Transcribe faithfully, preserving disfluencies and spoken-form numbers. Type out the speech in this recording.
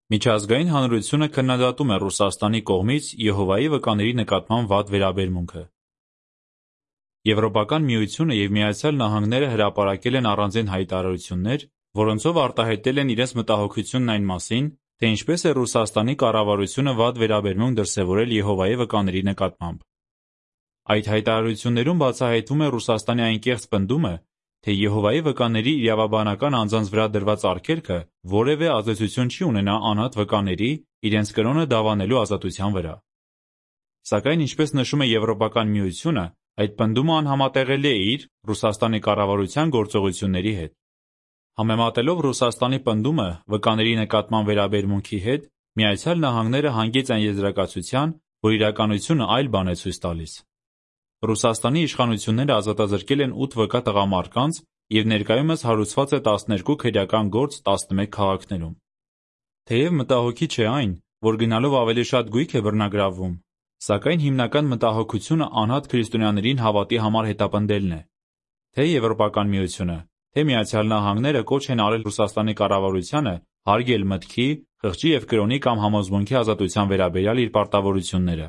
Միջազգային հանրությունը քննադատում է Ռուսաստանի կողմից Եհովայի վկաների նկատմամբ վատ վերաբերմունքը։ Եվրոպական միությունը և Միացյալ Նահանգները հրապարակել են առանձին հայտարարություններ, որոնցով արտահայտել են իրենց մտահոգությունն այն մասին, թե ինչպես է Ռուսաստանի կառավարությունը վատ վերաբերմունք դրսևորել Եհովայի վկաների նկատմամբ։ Այդ հայտարարություններում բացահայտվում է Ռուսաստանի այն կեղծ պնդումը, թե Եհովայի վկաների իրավաբանական անձանց վրա դրված արգելքը որևէ ազդեցություն չի ունենա անհատ վկաների իրենց կրոնը դավանելու ազատության վրա։ Սակայն, ինչպես նշում է Եվրոպական միությունը, այդ պնդումը անհամատեղելի է իր՝ Ռուսաստանի կառավարության գործողությունների հետ։ Համեմատելով Ռուսաստանի պնդումը վկաների նկատմամբ վերաբերմունքի հետ, Միացյալ Նահանգները հանգեց այն եզրակացության, որ իրականությունը այլ բան է ցույց տալիս։ Ռուսաստանի իշխանությունները ազատազրկել են ութ վկա տղամարդկանց և ներկայումս հարուցված է տասներկու քրեական գործ տասնմեկ քաղաքներում։ Թեև մտահոգիչ է այն, որ գնալով ավելի շատ գույք է բռնագրավվում, սակայն հիմնական մտահոգությունը անհատ քրիստոնյաներին հավատի համար հետապնդելն է։ Թե Եվրոպական միությունը, թե Միացյալ Նահանգները կոչ են արել Ռուսաստանի կառավարությանը հարգել մտքի, խղճի և կրոնի կամ համոզմունքի ազատության վերաբերյալ իր պարտավորությունները։